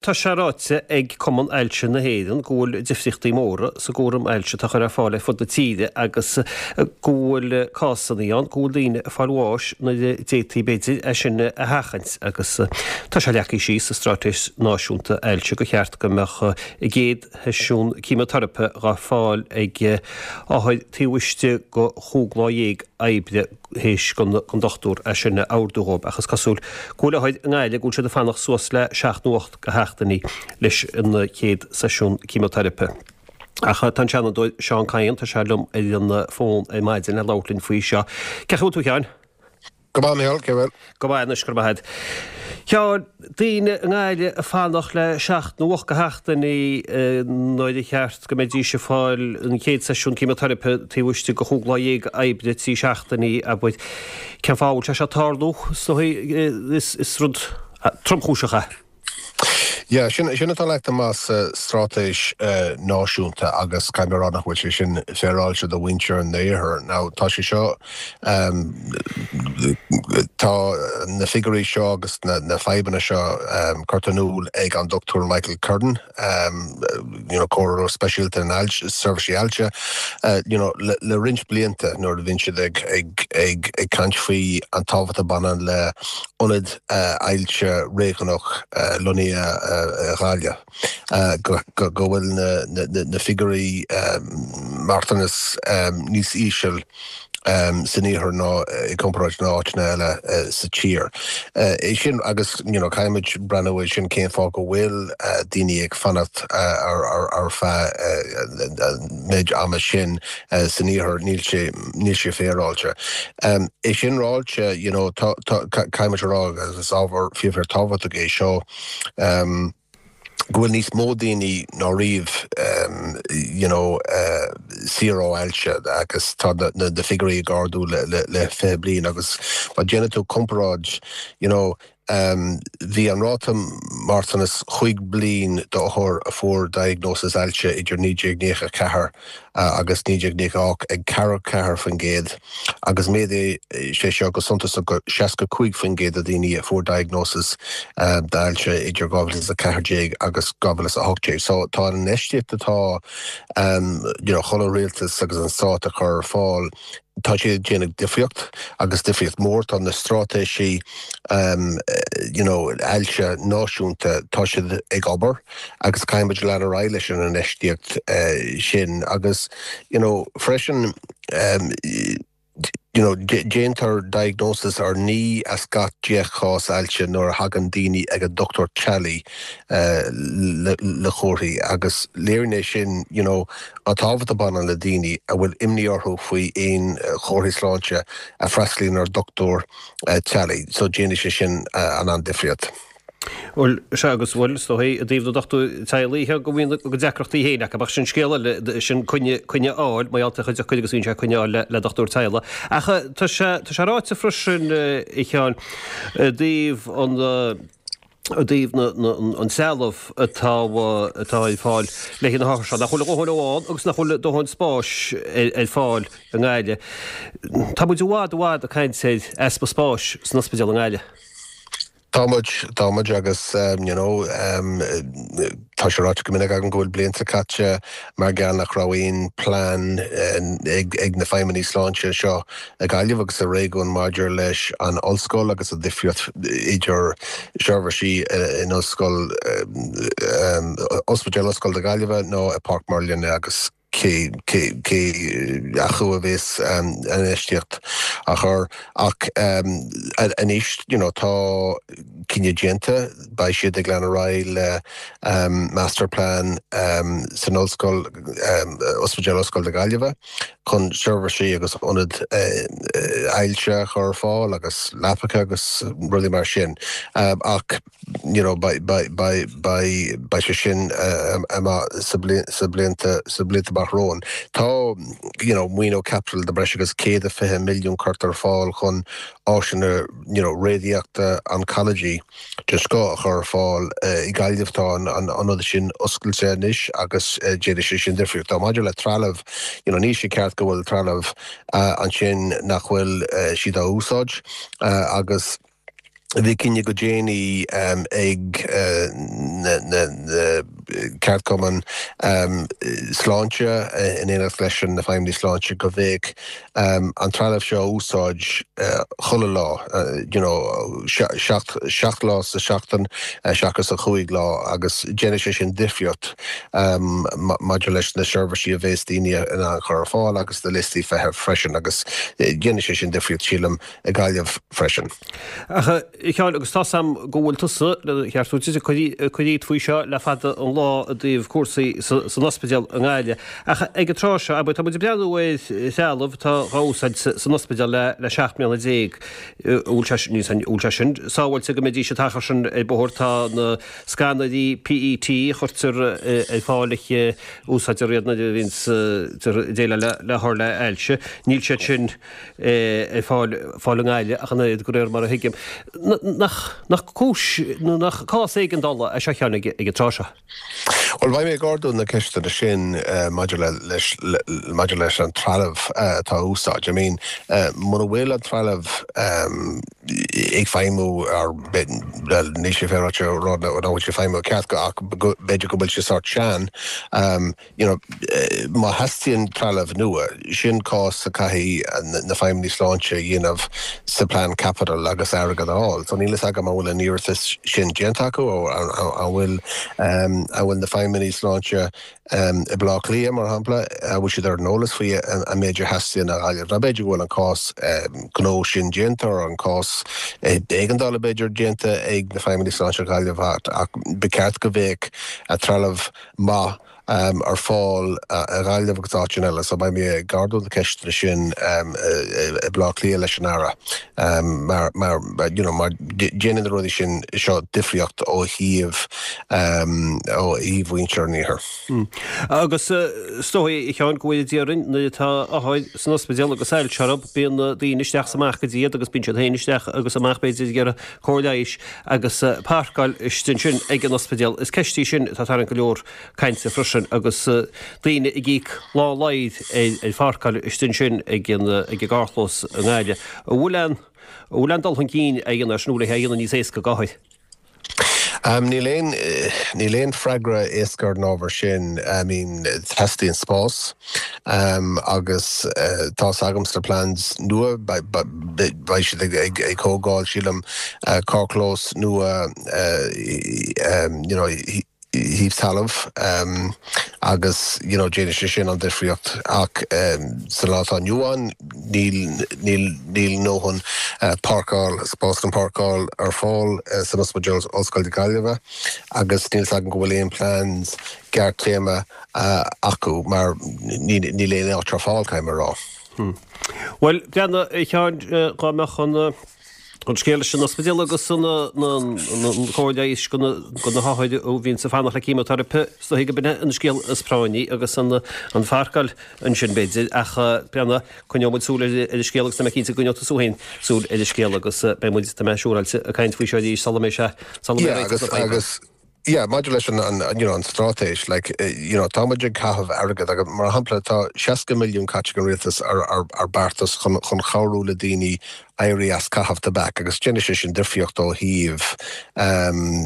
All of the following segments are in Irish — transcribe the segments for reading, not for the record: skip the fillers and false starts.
Tá sé ráite ag Cumann Ailse na hÉireann go bhfuil difríochtaí móra sa gcúram ailse atá á chur ar fáil ar fud na tíre agus go bhfuil cásanna ann go bhfuil daoine ag fáil bháis nuair a d'fhéadfaí b'fhéidir é sin a sheachaint agus tá sé leagtha síos sa Straitéis Náisiúnta Ailse gur cheart go mbeadh a gcéad sheisiún ceimiteiripe dhá fáil ag othair taobh istigh de chúig lá dhéag oibre théis don dochtúir é sin a ordú dhóibh ach is cosúil go bhfuil othair i nGaillimh go bhfuil siad ag fanacht suas le seacht nó 8 de sheachtainí leis an chéad seisiún ceimiteiripe. Ach tá an Seanadóir Seán Kyne, tá sé liom ar an bhfón ar maidin le labhairt linn faoi seo. Cén chaoi a bhfuil tú a Sheáin? Go maith, Micheál, cé bhfuil? Go maith anois, go raibh maith agat. Sheáin, daoine i nGaillimh ag fanacht le seacht nó 8 de sheachtainí nuair a cheart go mbeidís ag fáil an chéad seisiún ceimiteiripe taobh istigh de chúig lá dhéag oibre, 3 seachtainí, abair. Cén fáth a bhfuil sé seo ag tarlú? Is dóigh is rud tromchúiseach é. Yeah, sin sin atá leagtha amach sa straitéis náisiúnta agus caithfidh mé a rá nach bhfuil sé sin féaráilte do mhuintir an iarthair. Now tá sé seo, tá na figiúirí seo agus na fadhbanna seo curtha in iúl ag an Dr Michael Curran, you know, comhairleoir speisialta in ailse, seirbhísí ailse, you know, le le roinnt blianta nuair a bhíonn siad ag ag ag ag caint faoi an tábhacht a bhaineann le ionad ailse réigiúnach lonnaithe i Gaillimh, go bhfuil na figiúirí marthanas níos íseal san iarthar ná i gcomparáid le áiteanna eile sa tír. É sin agus you know caithfimid breathnú ar sin cén fáth go bhfuil daoine ag fanacht ar feadh an méid ama sin san iarthar, níl sé níl sé féaráilte. É sin ráite, you know, tá, tá, caithfimid a rá, agus is ábhar fíor fíor tábhachtach é seo, go bhfuil níos mó daoine ná riamh, you know, saor ó ailse agus tá na, na, na figiúirí ag ardú le, le, le 20 bliain agus má déanann tú comparáid, you know, Bhí an ráta marthanas chúig bliain d'othair a fuair diagnósis ailse idir 1994 agus 1998 ag 44% agus mhéadaigh sé seo go suntasach go 65% de dhaoine a fuair diagnósis d'ailse idir 2014 agus 2018. So tá an infheistíocht atá you know chuile rialtas agus an stát a chur ar fáil, Tá sé ag déanamh difríocht agus difríocht mór. Tá na straitéisí you know ailse náisiúnta, tá siad ag obair agus caithfidh muid lean ar aghaidh leis an infheistíocht sin agus you know freisin you know déantar diagnosis ar 9 as gach 10 chás ailse nuair a thagann daoine ag an dochtúir teaghlaigh le comharthaí agus léiríonn é sin you know An tábhacht a bhaineann le daoine a bhfuil imní orthu faoi aon chomharthaí sláinte a freastalaíonn ar dhochtúir teaghlaigh so déanfaidh sé sin an-difríocht. Bhuel, sea agus bhuel, is dóigh, i dtaobh na dochtúir teaghlaigh, go mbíonn a gcuid deacrachtaí féin acu, ach sin scéal eile, sin coinne, coinne a fháil, mar gheall ar chuid acu agus bíonn sé coinne a fháil le, le dochtúir teaghlaigh. Ach tá sé, tá sé ráite freisin, a Sheáin, i dtaobh an, i dtaobh an trealamh atá atá ar fáil le haghaidh na hothair seo, nach bhfuil a dhóthain ann agus nach bhfuil a dóthain spáis ar fáil i nGaillimh. Tá muid i bhfad i bhfad ag caint ar easpa spáis san ospidéal i nGaillimh. Tá muid, tá muid agus you know tá sé ráite go minic agam go bhfuil blianta caite mar gheall nach raibh aon plean ag na feidhmeannaigh sláinte seo i Gaillimh agus sa réigiún maidir leis an ollscoil agus an difríocht idir seirbhísí in ollscoil, Ospidéal Ollscoile na Gaillimhe nó i Páirc Merlin agus cé cé acu a bheas an infheistíocht á chur ach anois you know tá cinneadh déanta beidh siad ag lean ar aghaidh le masterplan san ollscoil, Ospidéal Ollscoile na Gaillimhe. chun seirbhísí agus ionad ailse a chur ar fáil agus leapacha agus rudaí mar sin ach you know beidh beidh sé sin amach sa sa blianta sa blianta amach romhainn. Tá you know maoiniú caipitil de breis agus 120 milliún curtha ar fáil chun áiseanna you know réadaíochta oncology den scoth a chur ar fáil i Gaillimh. Tá an ionad sin oscailte anois agus déanfaidh sé sin difríocht. Maidir le trealamh, you know, níl sé ceart go bhfuil trealamh ansin nach bhfuil siad á úsáid agus. Bhí cinneadh go déanaí ag na ceardchumainn sláinte in éineacht leis na feidhmeannaigh sláinte go mbeadh an trealamh seo á úsáid chuile lá, you know, 7 lá sa seachtain seachas an chúig lá agus déanfaidh sé sin difríocht maidir leis na seirbhísí a bheas daoine in ann a chur ar fáil agus na liostaí feithimh freisin agus déanfaidh sé sin difríocht sílim i Gaillimh freisin. Ach, a Sheáin, agus tá's a'm go bhfuil tusa, lena cheartú duit, ag cur iad faoi seo le fada an lá i dtaobh cúrsaí san ospidéal i nGaillimh. Ach ag an tráth seo, abair, tá muid ag breathnú ar threalamh atá dhá úsáid san ospidéal le 17 mbliana. An bhfuil sé sin, an bhfuil sé sin sábháilte go mbeidís an t-achar sin ar bóthar? Tá na scanairí PET a chuirtear ar fáil a úsáidtear iad nuair a bhíonns ag déileáil le hothair le hailse. Níl siad sin. ar fáil fáil i nGaillimh ach an oiread, de réir mar a thuigim. Nach nach cúis nó nach cás éigeandála é seo a Sheáin ag an tráth seo? Bhuel, beidh mé ag ardú na ceisteanna sin maidir le leis maidir leis an trealamh atá á úsáid. I mean, muna bhfuil an trealamh ag feidhmiú ar bhuel, níl sé féaráilte a rá nach bhfuil sé ag feidhmiú ceart ach b'fhéidir go bhfuil sé sórt sean, you know, má theastaíonn trealamh nua, sin cás a caithfidh na feidhmeannaigh sláinte a dhéanamh sa plean caipitil agus airgead a fháil. So níl fhios agam an bhfuil an iarratas sin déanta acu nó an bhfuil an bhfuil na feidhmeannaigh sláinte i mBaile Átha Cliath, mar shampla, an bhfuil siad ar an eolas faoi an méid a theastaíonn i nGaillimh. Nó b'fhéidir go bhfuil an cás gnó sin déanta nó an cás éigeandála b'fhéidir déanta ag na feidhmeannaigh sláinte i nGaillimh ach ba cheart go mbeadh trealamh maith ar fáil i nGaillimh agus áiteanna eile so beidh mé ag ardú na ceisteanna sin i mBaile Átha Cliath leis an Aire mar mar you know mar déanann na rudaí sin seo difríocht ó thaobh ó thaobh mhuintir an iarthair. Agus is dóigh, a Sheáin, go bhfuil déarfainn nuair atá othair san ospidéal agus ailse orthu, bíonn daoine isteach is amach go dtí iad agus bíonn siad féin isteach agus amach b'fhéidir ag iarraidh cóir leighis agus páirceáil istigh ansin ag an ospidéal. Is ceist í sin atá ag tarraingt go leor cainte freisin agus daoine ag íoc lán ladhair ar pháirceáil istigh ansin ag an ag an gcarrchlós i nGaillimh. An bhfuil aon an bhfuil aon dul chun cinn á dhéanamh air sin nó le é a dhéanamh níos éasca d'othair? Níl aon níl aon freagra éasca ar an ábhar sin. I mean teastaíonn spás. Agus tá's agam sna plans nua, beidh siad ag tógáil, sílim, carrchlós nua you know thíos talamh agus you know déanfaidh sé sin an difríocht ach sa lá atá inniu ann níl níl níl ndóthain páirceáil, spás chun páirceáil ar fáil san Ospidéal Ollscoile Gaillimhe agus níl 's agam go bhfuil aon plans gearrthéarma acu mar níl aon áit ar fáil, caithfidh mé a rá. Bhuel, breathnaigh, a Sheáin, dá mbeadh an an scéal leis an ospidéal agus an chóir leighis do na hothair a bhíonns ag fanacht le címiteiripe, is dóigh go b'in é an scéal is práinní agus an pháirceáil ansin b'fhéidir ach breathnaigh, coinneoidh muid súil ar an scéal agus tá mé cinnte go gcoinneoidh tusa féin súil ar an scéal agus beidh muid, tá mé siúráilte, ag caint faoi seo arís sula mbeidh sé, sula mbeidh réiteach na faidhbe. Yeah, maidir leis an, an, you know, an straitéis, like, you know, tá muid ag caitheamh airgead agus, mar shampla, tá 60 milliún caite ag an rialtas ar, ar, ar beartas chun, chun cabhrú le daoine éirí as caitheamh tobac agus déanfaidh sé sin difríocht ó thaobh um,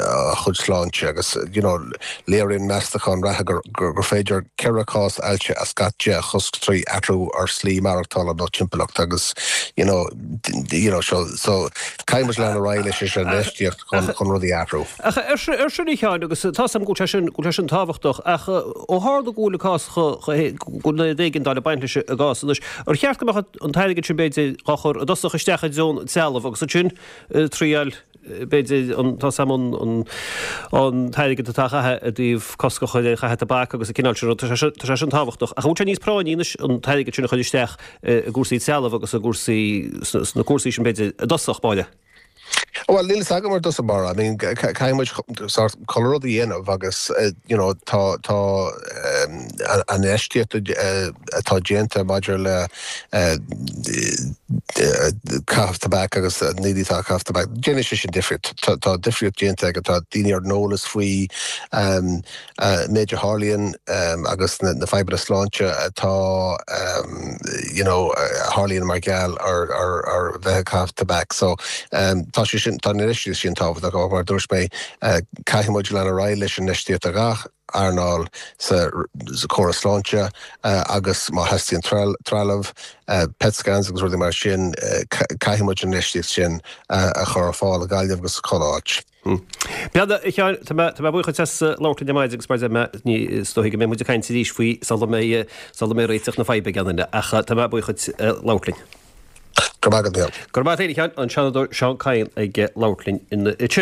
a chuid sláinte agus, you know, léiríonn meastachán reatha gur, gur, gur féidir ceithre chás ailse as gach 10 a chosc trí athrú ar slí maireachtála nó timpeallacht agus, you know, you know, so, so caithfidh muid lean ar aghaidh leis an infheistíocht chun chun rudaí a athrú. Ach ar sin a Sheáin, agus tá's agam go bhfuil sé sin, go bhfuil sé sin tábhachtach, ach ó tharla go bhfuil an cás go bhfuil an éigeandáil ag baint leis an gcás anois, ar cheart go mbeadh an t-airgead sin b'fhéidir dhá chur i dtosach isteach i dtreo an trealamh agus ansin triail b'fhéidir an, tá's agam an, an, an t-airgead atá á chaitheamh i dtaobh cosc a chur ar chaitheamh tobac agus an cineál sin rud, tá sé, tá sé sin tábhachtach. Ach an bhfuil sé níos práinní anois an t-airgead sin a chur isteach i gcúrsaí trealamh agus i gcúrsaí, sna cúrsaí sin b'fhéidir i dtosach báire? Bhuel, níl fhios agam ar dtús báire. I mean, caithfidh muid sórt chuile rud a dhéanamh agus, you know, tá, tá an infheistíocht atá déanta maidir le caitheamh tobac agus na daoine atá ag caitheamh tobac, déanfaidh sé sin difríocht. Tá difríocht déanta agus tá daoine ar an eolas faoi méid a tharlaíonn agus na fadhbanna sláinte atá you know a tharlaíonn mar gheall ar ar bheith ag caitheamh tobac. So tá sé. sin, tá an infheistíocht sin tábhachtach ach mar a dúirt mé, caithfidh muid lean ar aghaidh leis an infheistíocht i ngach earnáil sa chóras sláinte agus má theastaíonn trealamh, PET scans agus rudaí mar sin, caithfidh muid an infheistíocht sin a chur ar fáil i Gaillimh agus chuile áit. Bhuel, a Sheáin, tá mé, tá mé buíoch duit as labhairt linn ar maidin agus mar a deir mé, ní, is dóigh go mbeidh muid ag caint arís faoi sula mbeidh, sula mbeidh réiteach na faidhbe ag aon duine ach tá mé buíoch duit labhairt linn. Go raibh maith agat, Micheál. Go raibh maith agat féin, a Sheáin, an Seanadóir Seán Kyne ag labhairt linn ansin.